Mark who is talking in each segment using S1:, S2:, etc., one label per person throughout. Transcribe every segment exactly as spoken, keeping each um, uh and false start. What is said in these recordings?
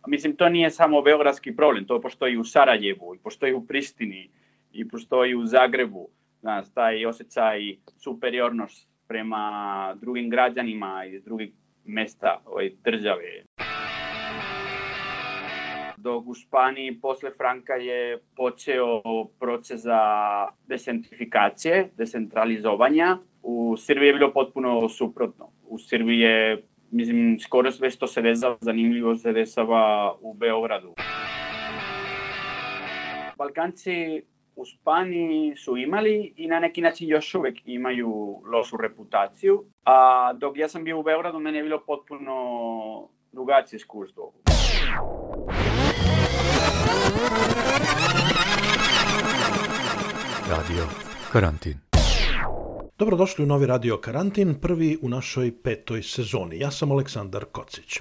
S1: Mislim, to nije samo beogradski problem, to postoji u Sarajevu, i postoji u Prištini, i postoji u Zagrebu. Znaš, taj osjećaj superiornost prema drugim građanima iz drugih mesta ove države. Dok u Španiji posle Franka je počeo proces za decentrifikacije, decentralizovanja. U Srbiji je bilo potpuno suprotno. U Srbiji je, mislim, skoro sve što se dešava, zanimljivo se dešava u Beogradu. Balkanci u Španiji su imali i na neki način još uvek imaju lošu reputaciju. A dok ja sam bio u Beogradu, meni je bilo potpuno drugačije iskustvo.
S2: Radio Karantin.
S3: Dobrodošli u novi Radio Karantin, prvi u našoj petoj sezoni. Ja sam Aleksandar Kocić.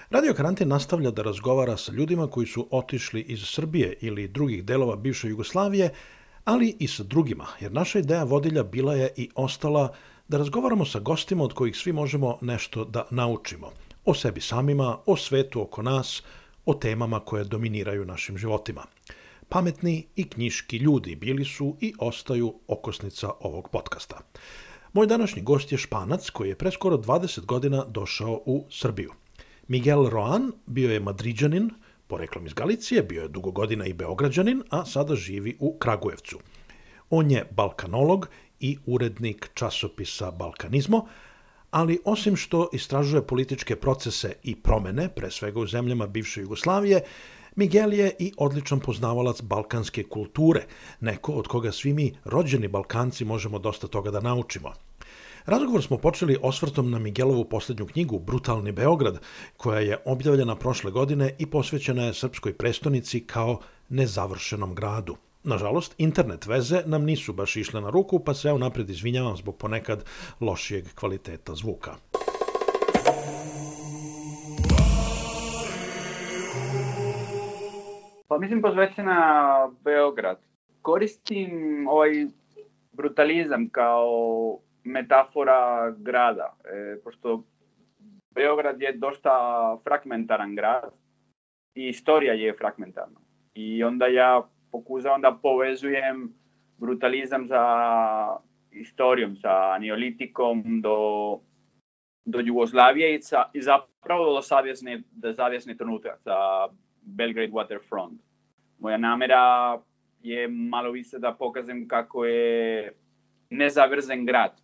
S3: Radio Karantin nastavlja da razgovara sa ljudima koji su otišli iz Srbije ili drugih delova bivše Jugoslavije, ali i sa drugima, jer naša ideja vodilja bila je i ostala da razgovaramo sa gostima od kojih svi možemo nešto da naučimo. O sebi samima, o svetu oko nas, o temama koje dominiraju našim životima. Pametni i knjiški ljudi bili su i ostaju okosnica ovog podcasta. Moj današnji gost je Španac koji je pre skoro dvadeset godina došao u Srbiju. Miguel Roan bio je Madriđanin, poreklom iz Galicije, bio je dugo godina i Beograđanin, a sada živi u Kragujevcu. On je balkanolog i urednik časopisa Balkanizmo, ali osim što istražuje političke procese i promene, pre svega u zemljama bivše Jugoslavije, Miguel je i odličan poznavalac balkanske kulture, neko od koga svi mi rođeni Balkanci možemo dosta toga da naučimo. Razgovor smo počeli osvrtom na Miguelovu posljednju knjigu Brutalni Beograd, koja je objavljena prošle godine i posvećena je srpskoj prestonici kao nezavršenom gradu. Nažalost, internet veze nam nisu baš išle na ruku, pa se ja unapred izvinjavam zbog ponekad lošijeg kvaliteta zvuka.
S1: Pa mislim posvećena Beograd. Koristim ovaj brutalizam kao metafora grada, e, pošto Beograd je dosta fragmentaran grad i istorija je fragmentarna. I onda ja pokušavam da povezujem brutalizam sa istorijom, sa neolitikom do, do Jugoslavije i, sa, i zapravo do savjesne, do savjesne trenutka sa Belgrade Waterfront. Moja namera je malo više da pokažem kako je nezavršen grad.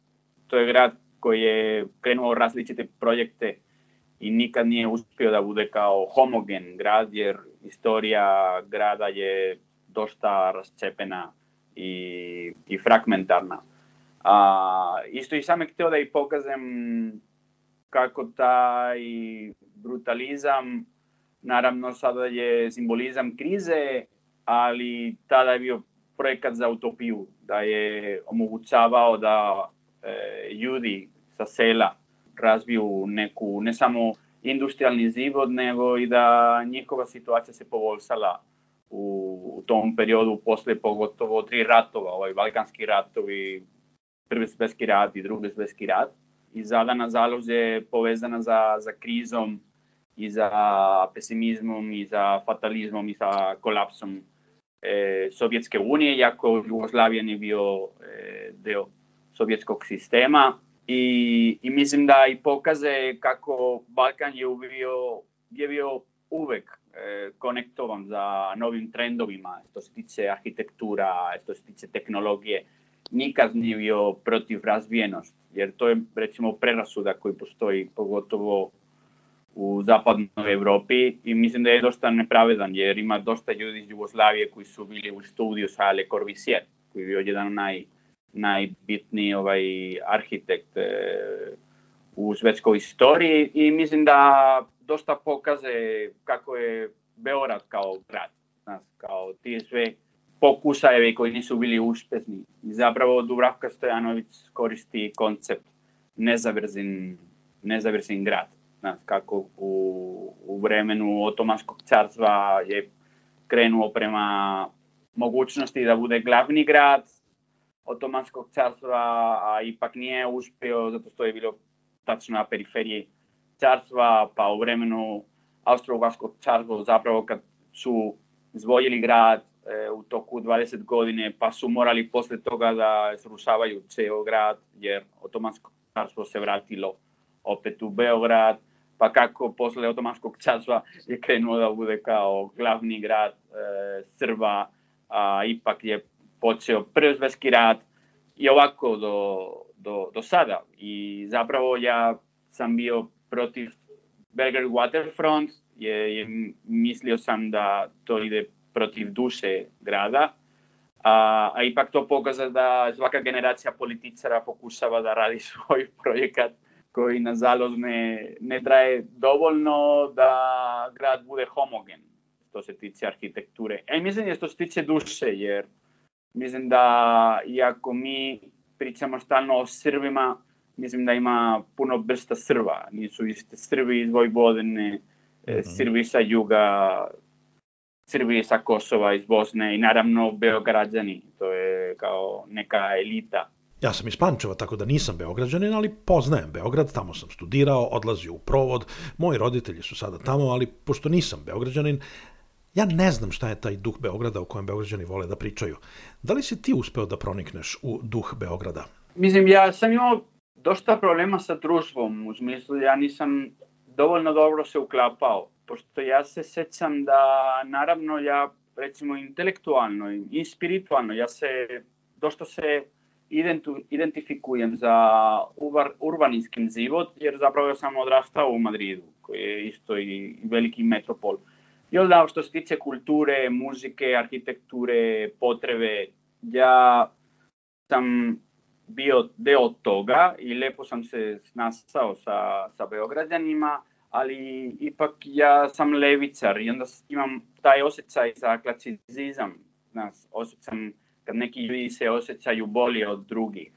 S1: To je grad koji je krenuo različite projekte i nikad nije uspio da bude kao homogen grad, jer istorija grada je dosta rascepena i, i fragmentarna. A, isto i sam je htio da i pokažem kako taj brutalizam, naravno sada je simbolizam krize, ali tada je bio projekat za utopiju, da je omogućavao da e, ljudi sa sela razviju neku, ne samo industrijalni život, nego i da njihova situacija se poboljšala u, u tom periodu, posle pogotovo tri ratova, ovaj balkanski ratovi, prvi svjetski rat i drugi svjetski rat. I sada, nažalost, je povezana za, za krizom i za pesimizmom i za fatalizmom i sa kolapsom e, Sovjetske unije, iako Jugoslavija nije bio e, deo sovjetskog sistema. I, i mislim da i pokaže kako Balkan je bio, je bio uvek e, konektovan za novim trendovima, što se tiče arhitektura, što se tiče tehnologije. Nikad nije bio protiv razvijenosti, jer to je recimo prerasuda koji postoji pogotovo u zapadnoj Evropi i mislim da je dosta nepravedan, jer ima dosta ljudi iz Jugoslavije koji su bili u studiju sa Le Corbusier, koji je bio jedan naj, najbitniji ovaj arhitekt e, u svetskoj istoriji i mislim da dosta pokaže kako je Beograd kao grad, znaš, kao ti sve pokušajevi koji nisu bili uspešni. I zapravo Dubravka Stojanović koristi koncept nezavršen, nezavršen grad. Znaš, kako u, u vremenu Otomanskog carstva je krenuo prema mogućnosti da bude glavni grad Otomanskog carstva, a ipak nije uspio zato što je bilo tačno na periferiji carstva, pa u vremenu Austro-Ugarskog carstva, zapravo kad su izdvojili grad e, u toku dvadeset godine, pa su morali posle toga da srušavaju ceo grad, jer Otomansko carstvo se vratilo opet u Beograd, pa kako posle Otomanskog carstva je krenuo da bude kao glavni grad e, Srba, a ipak je počeo Prvi svjetski rat i ovako do, do, do sada. I zapravo ja sam bio protiv Belgrade Waterfront, je, je, mislio sam da to ide protiv duše grada, a, a ipak to pokazuje da svaka generacija političara pokušava da radi svoj projekat koji nažalost ne, ne traje dovoljno da grad bude homogen što se tiče arhitekture. E, mislim da što se tiče duše, jer mislim da iako mi pričamo stalno o Srbima, mislim da ima puno vrsta Srba. Nisu iste Srbi iz Vojvodine, mm-hmm. Srbi sa juga, Srbi sa Kosova, iz Bosne i naravno Beograđani. To je kao neka elita.
S3: Ja sam iz Pančeva, tako da nisam Beograđanin, ali poznajem Beograd, tamo sam studirao, odlazio u provod, moji roditelji su sada tamo, ali pošto nisam Beograđanin, ja ne znam šta je taj duh Beograda o kojem Beograđani vole da pričaju. Da li si ti uspeo da pronikneš u duh Beograda?
S1: Mislim, ja sam imao dosta problema sa društvom, u smislu ja nisam dovoljno dobro se uklapao, pošto ja se sećam da, naravno, ja recimo intelektualno i spiritualno, ja se dosta se identifikujem za urbanijski život, jer zapravo sam odrastao u Madridu, koji je isto i veliki metropol. I onda što se tiče kulture, muzike, arhitekture, potrebe, ja sam bio deo toga i lepo sam se snašao sa, sa Beograđanima, ali ipak ja sam levičar i onda imam taj osjećaj za klasicizam. Nas, osjećam kad neki ljudi se osjećaju bolje od drugih.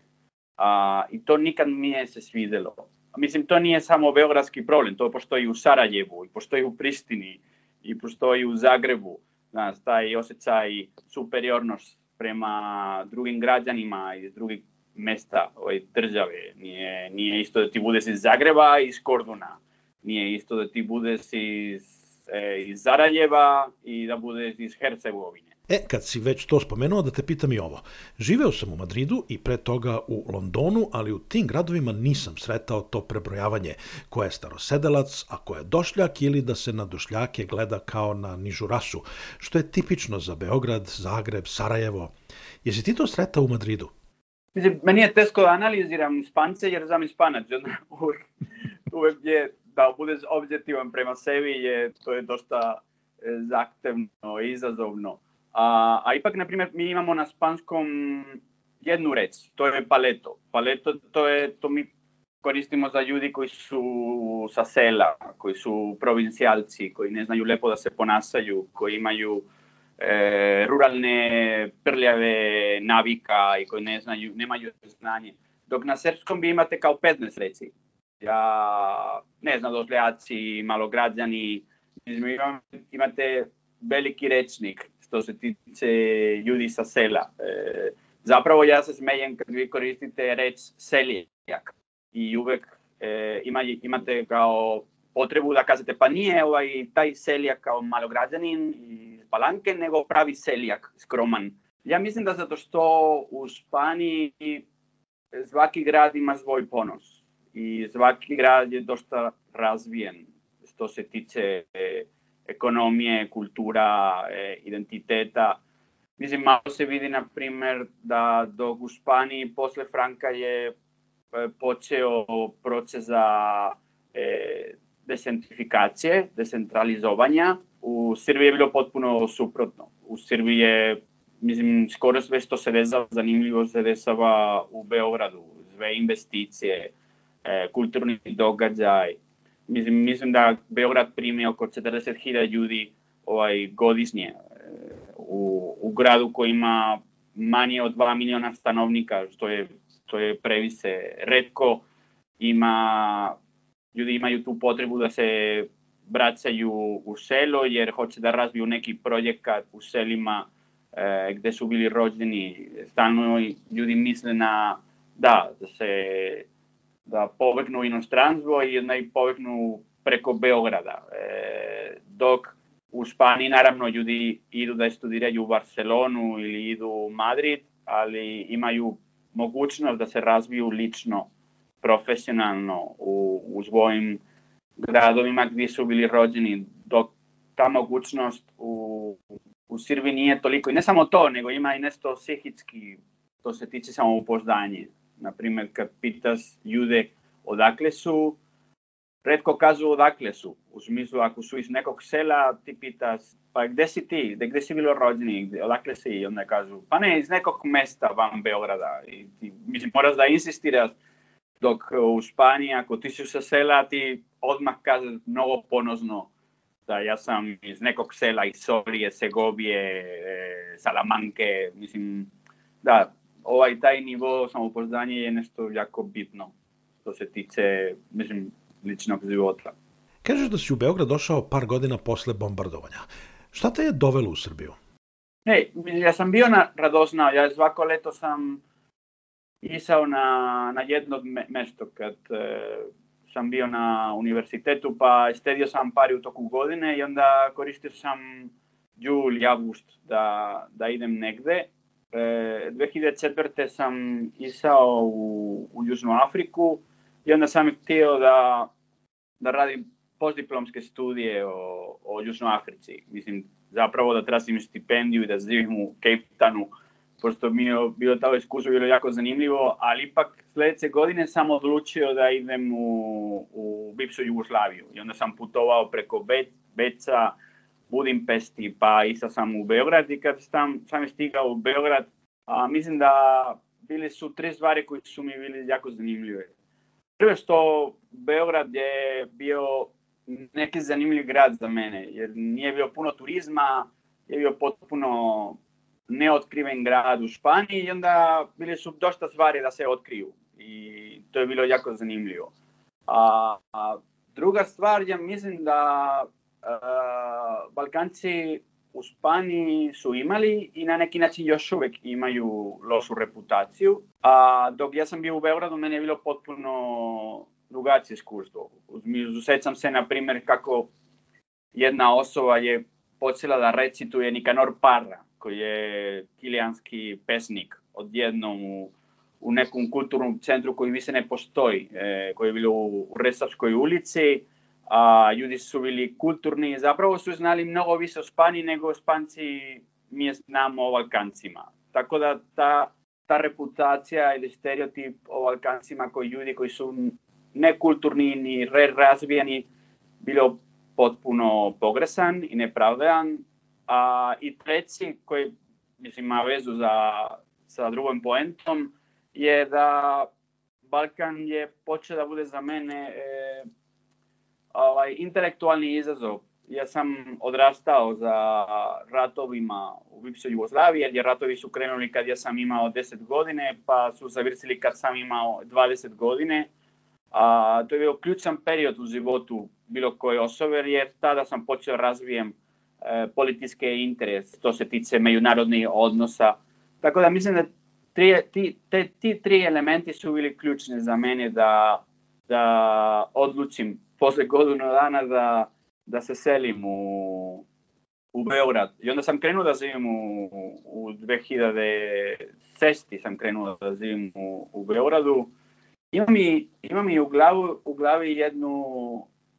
S1: A, I to nikad mi nije se svidelo. Mislim, to nije samo beogradski problem, to postoji u Sarajevu, i postoji u Prištini, i postoji u Zagrebu. Znaš, taj osjećaj superiornost prema drugim građanima iz drugih mesta ove države. Nije, nije isto da ti budeš iz Zagreba i iz Korduna. Nije isto da ti budeš iz, e, iz Sarajeva i da budeš iz Hercegovine.
S3: E, kad si već to spomenuo, da te pitam i ovo. Živeo sam u Madridu i pre toga u Londonu, ali u tim gradovima nisam sretao to prebrojavanje ko je starosedelac, a ko je došljak ili da se na došljake gleda kao na nižu rasu, što je tipično za Beograd, Zagreb, Sarajevo. Jesi ti to sretao u Madridu?
S1: Mislim, meni je teško da analiziram Špance jer sam Španac. Uvek, uvek je da budeš objektivan prema sebi, je, to je dosta zahtevno i izazovno. A, a ipak, na primjer, mi imamo na španskom jednu reč, to je paleto. Paleto, to je, to mi koristimo za ljudi koji su sa sela, koji su provincijalci, koji ne znaju lepo da se ponašaju, koji imaju e, ruralne prljave navika i koji ne znaju, nemaju znanje. Dok na srpskom vi imate kao petnaest reci. Ja ne znam, došljaci, malograđani, imate veliki rečnik što se tiče ljudi sa sela. E, zapravo ja se smejem kad vi koristite reč seljak i uvek e, ima, imate kao potrebu da kažete pa nije ovaj, taj seljak kao malograđanin iz Palanke, nego pravi seljak, skroman. Ja mislim da zato što u Španiji svaki grad ima svoj ponos i svaki grad je dosta razvijen što se tiče e, ekonomije, kultura, e, identiteta. Mislim, malo se vidi, na primjer, da dok u Španiji posle Franka je e, počeo proces za e, decentrifikacije, decentralizovanja. U Srbiji je bilo potpuno suprotno. U Srbiji je, mislim, skoro sve što se dešava, zanimljivo se dešava u Beogradu. Sve investicije, e, kulturni događaj. Mislim, mislim da Beograd primi oko četrdeset hiljada ljudi ovaj, godišnje u, u gradu koji ima manje od dva miliona stanovnika, što je, što je previše retko. Ima, ljudi imaju tu potrebu da se vraćaju u selo jer hoće da razviju neki projekat u selima e, gde su bili rođeni. Stalno ljudi misle na da, da se da pobegnu u inostranstvo i da i pobegnu preko Beograda. E, dok u Španiji naravno ljudi idu da studiraju u Barcelonu ili idu u Madrid, ali imaju mogućnost da se razviju lično, profesionalno u, u svojim gradovima gdje su bili rođeni, dok ta mogućnost u, u Srbiji nije toliko. I ne samo to, nego ima i nešto psihički, to se tiče samopouzdanje. Naprimjer, kad pitaš ljude odakle su, retko kažu odakle su. U smislu, ako su iz nekog sela, ti pitaš, pa gde si ti, gde si bilo rođeni, odakle si? I onda kažu, pa ne, iz nekog mesta van Beograda. I ti, mislim, moraš da insistiraš, dok u Španiji, ako ti si sa sela, ti odmah kažeš mnogo ponosno da ja sam iz nekog sela, iz Solije, Segovije, Salamanke, mislim, da, ovaj taj nivo samopouzdanja je nešto jako bitno, što se tiče, mislim, ličnog života.
S3: Kažeš da si u Beograd došao par godina posle bombardovanja. Šta te je dovelo u Srbiju?
S1: Hej, ja sam bio na Radoznao, ja svako leto sam išao na, na jedno mesto kad e, sam bio na univerzitetu, pa stedio sam pari u toku godine i onda koristio sam jul, avgust da, da idem negde. E, dve hiljade četvrte sam išao u, u Južnu Afriku i onda sam htio da, da radim postdiplomske studije o, o Južnoj Africi. Mislim, zapravo da tražim stipendiju i da živim u Cape Townu, pošto mi je bilo to iskustvo bilo jako zanimljivo, ali ipak sljedeće godine sam odlučio da idem u, u bivšu Jugoslaviju. I onda sam putovao preko Be, Beca, Budimpešti, pa išao sam u Beograd i kad sam, sam stigao u Beograd, a, mislim da bili su tri stvari koje su mi bili jako zanimljive. Prvo što Beograd je bio neki zanimljiv grad za mene, jer nije bio puno turizma, je bio potpuno neotkriven grad u Španiji i onda bili su dosta stvari da se otkriju i to je bilo jako zanimljivo. A, a druga stvar, ja mislim da a, Balkanci u Španiji su imali i na neki način još uvijek imaju lošu reputaciju, a dok ja sam bio u Beogradu, meni je bilo potpuno drugačije iskustvo. Sećam se, na primjer, kako jedna osoba je počela da recituje Nikanor Parra, koji je kilijanski pesnik, odjednom u, u nekom kulturnom centru koji više ne postoji, e, koji je bilo u, u Resavskoj ulici, a ljudi su bili kulturni, zapravo su znali mnogo više o Španiji nego Španci mi znamo o Balkancima. Tako da ta, ta reputacija ili stereotip o Balkancima koji ljudi koji su nekulturni ni razvijeni bilo potpuno pogresan i nepravedan. A i treći, koji mislim ima vezu za, sa drugom poentom, je da Balkan je počeo da bude za mene e, ovaj, intelektualni izazov. Ja sam odrastao za ratovima u bivšoj Jugoslaviji, jer ratovi su krenuli kad ja sam imao deset godine, pa su završili kad sam imao dvadeset godine. A, to je bio ključan period u životu bilo koje osobe, jer tada sam počeo razvijem e, političke interese, to se tiče međunarodnih odnosa. Tako da mislim da tri, ti, te, ti tri elementi su bili ključni za mene da, da odlučim posle godinu dana da, da se selim u, u Beograd. I onda sam krenuo da živim u, u dve hiljade šeste. sam krenuo da živim u, u Beogradu. Imam i, imam i u, glavu, u glavi jednu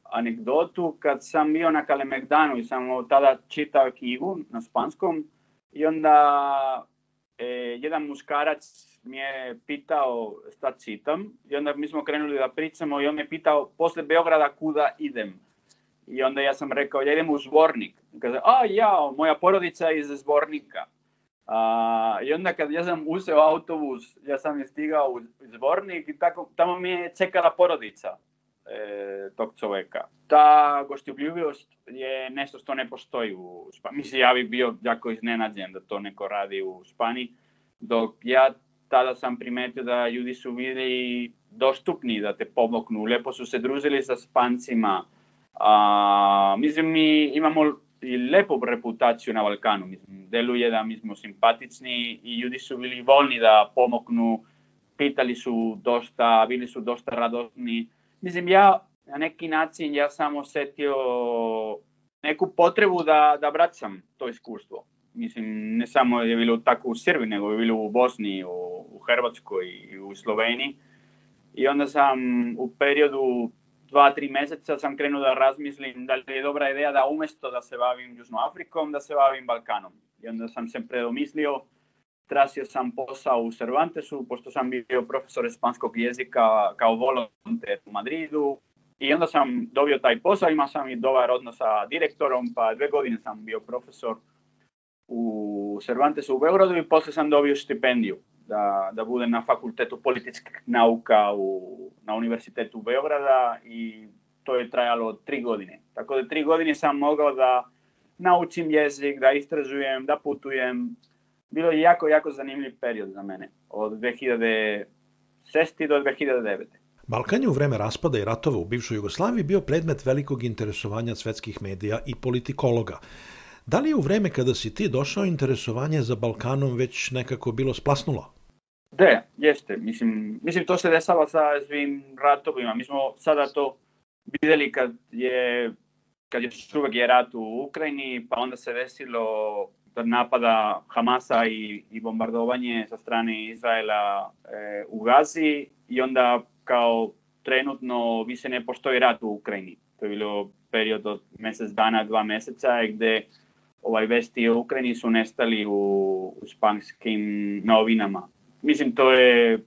S1: anegdotu kad sam bio na Kalemegdanu i sam tada čitao knjigu na španskom i onda e, jedan muškarac mi je pitao šta čitam i onda mi smo krenuli da pričamo i on me pitao posle Beograda kuda idem. I onda ja sam rekao ja idem u Zvornik. I kaže, a ja, moja porodica je iz Zvornika. A, I onda kad ja sam uzeo autobus, ja sam stigao u Zvornik i tako, tamo mi je čekala porodica e, tog čoveka. Ta goštoljubivosť je nešto što ne postoji u Španiji. Mislim, ja bih bio jako iznenađen da to neko radi u Španiji, dok ja tada sam primetio da ljudi su bili dostupni da te pomognu, lepo su se družili sa Špancima. A, mislim, mi imamo i lepu reputaciju na Balkanu. Mislim, deluje da mi smo simpatični i ljudi su bili voljni da pomognu, pitali su dosta, bili su dosta radosni. Mislim, ja na neki način ja sam osjetio neku potrebu da, da vraćam to iskustvo. Mislim, ne samo je bilo tako u Srbiji, nego je bilo u Bosni, u, u Hrvatskoj i u Sloveniji. I onda sam u periodu dva, tri meseca sam krenuo da razmislim da li je dobra ideja da umjesto da se bavim Južnom Afrikom, da se bavim Balkanom. I onda sam se predomislio, tražio sam posao u Cervantesu, pošto sam bio profesor španskog jezika kao volonter u Madridu. I onda sam dobio taj posao, imao sam i dobar odnos sa direktorom, pa dve godine sam bio profesor u Cervantesu u Beogradu i poslije sam dobio stipendiju da, da budem na fakultetu političkih nauka u, na Univerzitetu Beograda i to je trajalo tri godine. Tako da tri godine sam mogao da naučim jezik, da istražujem, da putujem. Bilo je jako, jako zanimljiv period za mene, od dve hiljade šeste. do dve hiljade devete.
S3: Balkan je u vreme raspada i ratova u bivšoj Jugoslaviji bio predmet velikog interesovanja svetskih medija i politikologa. Da li je u vreme kada si ti došao interesovanje za Balkanom već nekako bilo splasnulo?
S1: Da, jeste. Mislim, mislim to se desalo sa svim ratovima. Mi smo sada to vidjeli kad je, kad je uvek je rat u Ukrajini, pa onda se desilo napada Hamasa i, i bombardovanje sa strane Izraela e, u Gazi i onda kao trenutno više ne postoji rat u Ukrajini. To je bilo period od mjesec dana, dva mjeseca gdje ovaj vesti o Ukrajini su nestali u, u španskim novinama. Mislim, to je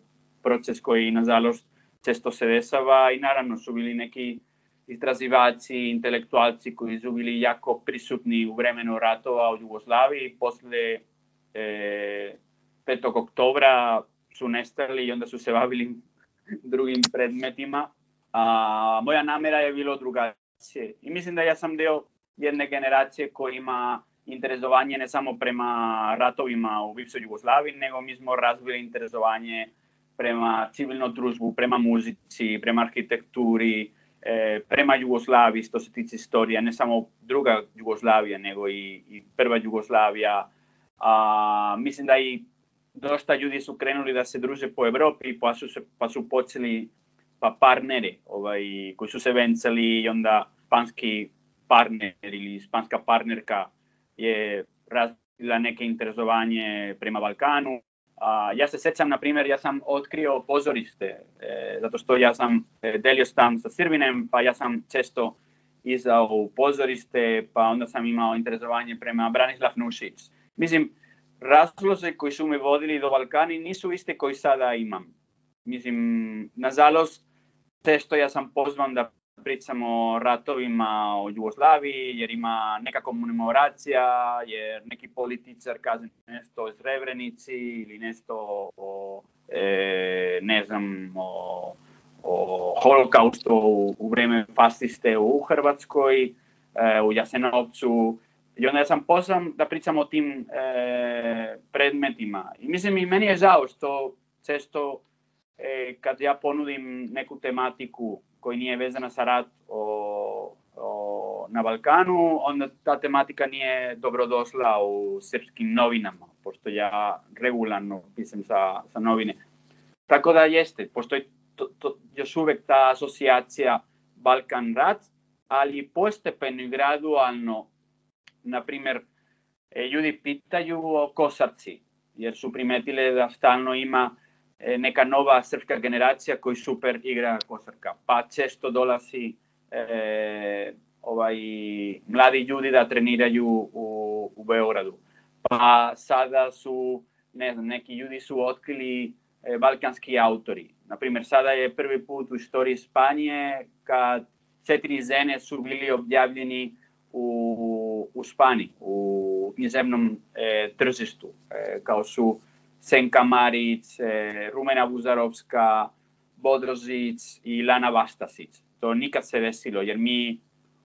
S1: proces koji, nažalost, često se dešava i naravno su bili neki istraživači, intelektualci koji su bili jako prisutni u vremenu ratova u Jugoslaviji. Posle e, petog oktobra su nestali i onda su se bavili drugim predmetima. A moja namera je bilo drugačije. I mislim da ja sam deo jedne generacije koja ima interesovanje ne samo prema ratovima u bivšoj Jugoslaviji, nego mi smo razvili interesovanje prema civilnom društvu, prema muzici, prema arhitekturi, e, prema Jugoslaviji, što se tiče istorija, ne samo druga Jugoslavija, nego i, i prva Jugoslavija. A, mislim da i dosta ljudi su krenuli da se druže po Evropi, pa su, se, pa su počeli pa partneri ovaj, koji su se vencali i onda španski partner ili španska partnerka je razvila neke interesovanje prema Balkanu. A, ja se sjećam, na primjer, ja sam otkrio pozorište, e, zato što ja sam e, delio stan sa Srbinem, pa ja sam često izao u pozorište, pa onda sam imao interesovanje prema Branislav Nušić. Mislim, razlozi koji su me vodili do Balkani nisu iste koji sada imam. Mislim, nažalost, često ja sam pozvan da pričamo o ratovima o Jugoslaviji, jer ima neka komemoracija, jer neki političar kaže nešto o Srebrenici ili nešto o, e, ne znam, o, o holokaustu u, u vreme fasciste u Hrvatskoj, e, u Jasenovcu. I onda sam pozvan da pričam o tim e, predmetima. I mislim, i meni je žao što često e, kad ja ponudim neku tematiku koji nije vezana sa rat o, o, na Balkanu, onda ta tematika nije dobrodošla u srpskim novinama, pošto ja regularno pisam sa, sa novine. Tako da jeste, postoji to, to, još uvek ta asocijacija Balkan-rat, ali postepeno i gradualno, na primjer, ljudi pitaju o Kosarci, jer su primetile da stalno ima neka nova srpska generacija koji super igra košarka. Pa često dolazi e, ovaj, mladi ljudi da treniraju u, u Beogradu. Pa sada su, ne znam, neki ljudi su otkrili e, balkanski autori. Naprimjer, sada je prvi put u istoriji Španije kad četiri žene su bili objavljeni u, u Španiji, u književnom e, tržištu, e, kao su Senka Marić, Rumena Buzarovska, Bodrožić i Lana Vastasić. To nikad se desilo, jer mi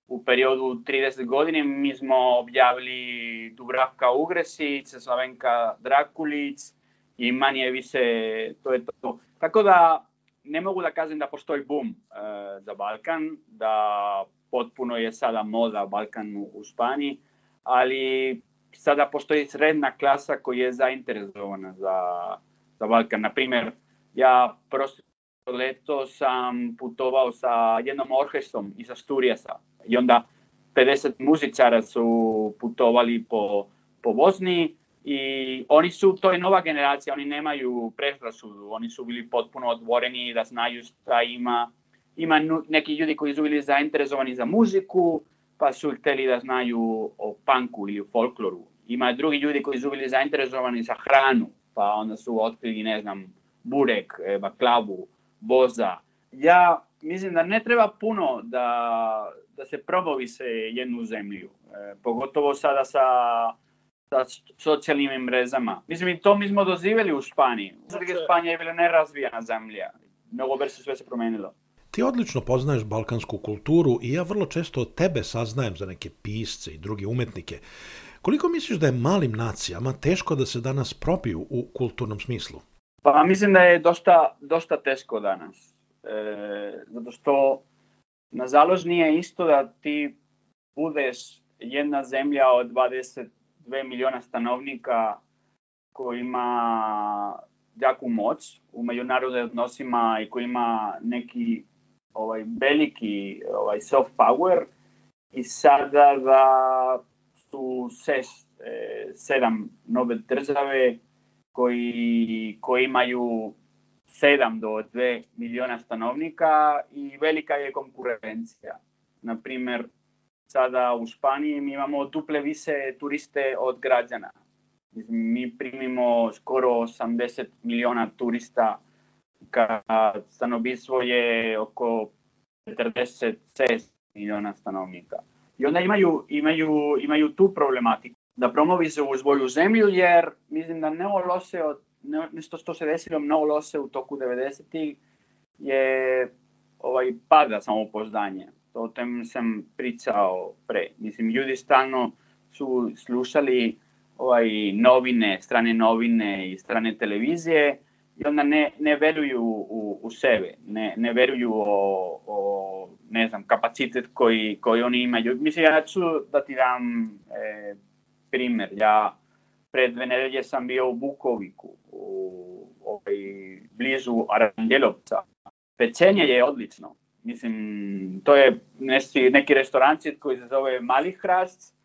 S1: u periodu trideset godine mi smo objavili Dubravka Ugresić, Slavenka Drakulić i manje više to je to. Tako da ne mogu da kažem da postoji boom e, za Balkan, da potpuno je sada moda Balkan u, u Španiji, ali sada postoji srednja klasa koja je zainteresovana za, za Balkan. Naprimjer, ja prošlo leto sam putovao sa jednom orkestrom iz Asturijasa i onda pedeset muzičara su putovali po, po Bosni i oni su, to je nova generacija, oni nemaju predrasudu, oni su bili potpuno otvoreni da znaju šta ima. Ima neki ljudi koji su bili zainteresovani za muziku, pa su hteli da znaju o punku ili o folkloru. Ima drugi ljudi koji su bili zainteresovani za hranu, pa onda su otkrili, ne znam, burek, baklavu, boza. Ja mislim da ne treba puno da, da se promovi se jednu zemlju, e, pogotovo sada sa, sa socijalnim mrežama. Mislim, i to mi smo doživjeli u Španiji. Znači, Španija je bila nerazvijena zemlja. Mnogo brzo sve se promenilo.
S3: Ti odlično poznaješ balkansku kulturu i ja vrlo često od tebe saznajem za neke pisce i druge umetnike. Koliko misliš da je malim nacijama teško da se danas probiju u kulturnom smislu?
S1: Pa mislim da je dosta, dosta teško danas. E, zato što nažalost nije isto da ti budeš jedna zemlja od dvadeset dva miliona stanovnika koji ima jaku moć u međunarodnim odnosima i koji ima neki ovaj, veliki ovaj, soft power i sada da su šest, e, sedam nove države koji, koji imaju sedam do dva miliona stanovnika i velika je konkurencija. Naprimjer, sada u Španiji mi imamo duple više turiste od građana. Mi primimo skoro osamdeset miliona turista, kad stanovništvo je oko četrdeset šest miliona stanovnika. I onda imaju, imaju, imaju tu problematiku da promovi se u svoju zemlju, jer mislim da mnogo loše, nešto što se desilo mnogo loše u toku devedesetih je ovaj, pada samopouzdanje. O tem sam pričao pre. Mislim, ljudi stalno su slušali ovaj, novine, strane novine i strane televizije i onda ne, ne veruju u, u sebe, ne, ne veruju o, o ne znam, kapacitet koji, koji oni imaju. Mislim, ja ću da ti dam e, primjer. Ja pred dve nedelje sam bio u Bukoviku, u, ovaj, blizu Aranđelovca. Pečenje je odlično. Mislim, to je neki, neki restorancit koji se zove Mali Hrast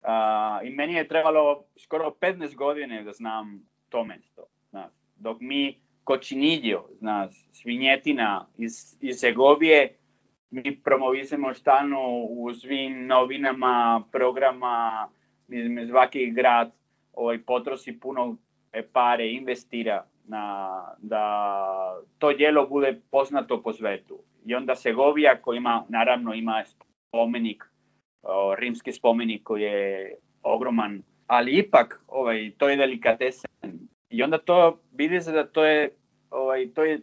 S1: uh, i meni je trebalo skoro petnaest godine da znam to mesto. Znaš. Dok mi kočinidjo, znaš, svinjetina iz, iz Segovije, mi promovisamo stalno u svim novinama, programa, mislim, svaki grad ovaj, potroši puno pare, investira na, da to djelo bude poznato po svetu. I onda Segovija koji ima, naravno ima spomenik, o, rimski spomenik koji je ogroman, ali ipak ovaj, to je delikatesen. I onda to vidi se da to je, ovaj, to je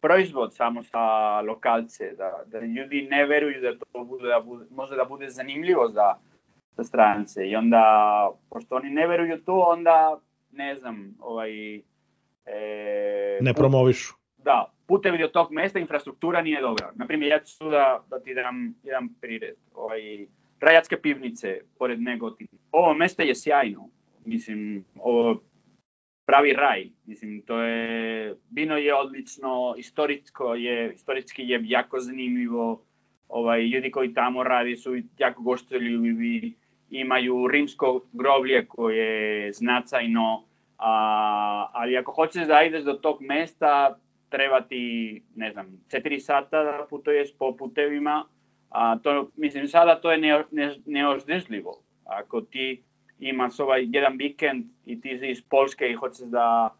S1: proizvod samo sa lokalce, da, da ljudi ne veruju da to bude, da bude, može da bude zanimljivo za, za strance. I onda, pošto oni ne veruju to, onda ne znam, ovaj... E,
S3: ne promovišu.
S1: Da, putevi do tog mesta, infrastruktura nije dobra. Naprimjer, ja ću da, da ti dam jedan prired. Ovaj, Rajatske pivnice, pored Negotina. Ovo mesto je sjajno. Mislim, ovo pravi raj. Mislim, to je, vino je odlično, istorijsko je, istorijski je jako zanimljivo. Ovaj, ljudi koji tamo radi su jako gostoljubivi. Imaju rimsko groblje koje je značajno. A, ali ako hoćeš da ideš do tog mesta, treba ti, ne znam, četiri sata da putuješ po putevima. A to, mislim, sada to je ne, ne, neozdržljivo. Ako ti imaš ovaj jedan vikend i ti si iz Polske i hoćeš da,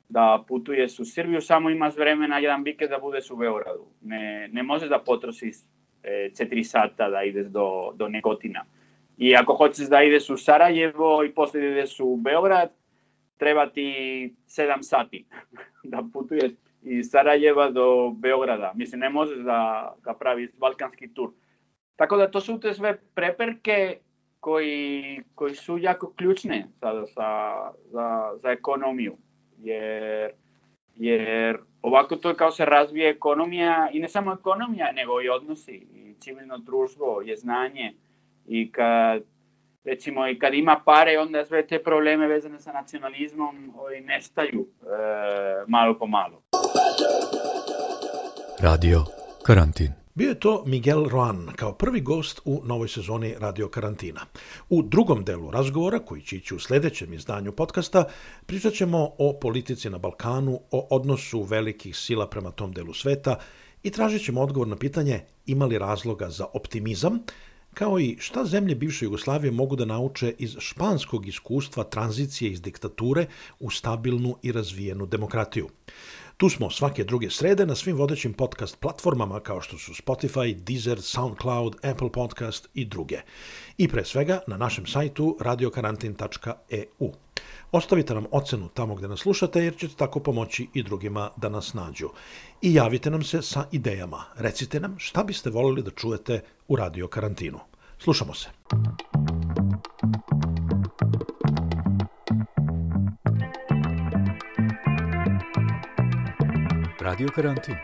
S1: da putuješ u Srbiju, samo imaš vremena jedan vikend da budeš u Beogradu. Ne, ne možeš da potrošiš e, četiri sata da ideš do, do Negotina. I ako hoćeš da ideš u Sarajevo i poslije ideš u Beograd, treba ti sedam sati da putuješ iz Sarajeva do Beograda. Mislim, ne možeš da, da praviš balkanski tur. Tako da to su te sve prepreke koji, koji su jako ključne sada sa, za, za ekonomiju. Jer, jer ovako to kao se razvije ekonomija i ne samo ekonomija, nego i odnosi. I civilno društvo, je znanje. I kad, recimo, i kad ima pare, onda sve te probleme vezane sa nacionalizmom ovaj, nestaju e, malo po malo.
S2: Radio Karantin.
S3: Bio je to Miguel Roan kao prvi gost u novoj sezoni Radio Karantina. U drugom delu razgovora, koji će ići u sledećem izdanju podcasta, pričat ćemo o politici na Balkanu, o odnosu velikih sila prema tom delu sveta i tražit ćemo odgovor na pitanje ima li razloga za optimizam, kao i šta zemlje bivše Jugoslavije mogu da nauče iz španskog iskustva tranzicije iz diktature u stabilnu i razvijenu demokratiju. Tu smo svake druge srede na svim vodećim podcast platformama kao što su Spotify, Deezer, SoundCloud, Apple Podcast i druge. I pre svega na našem sajtu radio karantin tačka e u. Ostavite nam ocenu tamo gde nas slušate jer ćete tako pomoći i drugima da nas nađu. I javite nam se sa idejama. Recite nam šta biste voljeli da čujete u Radio Karantinu. Slušamo se.
S2: Radio Karantin.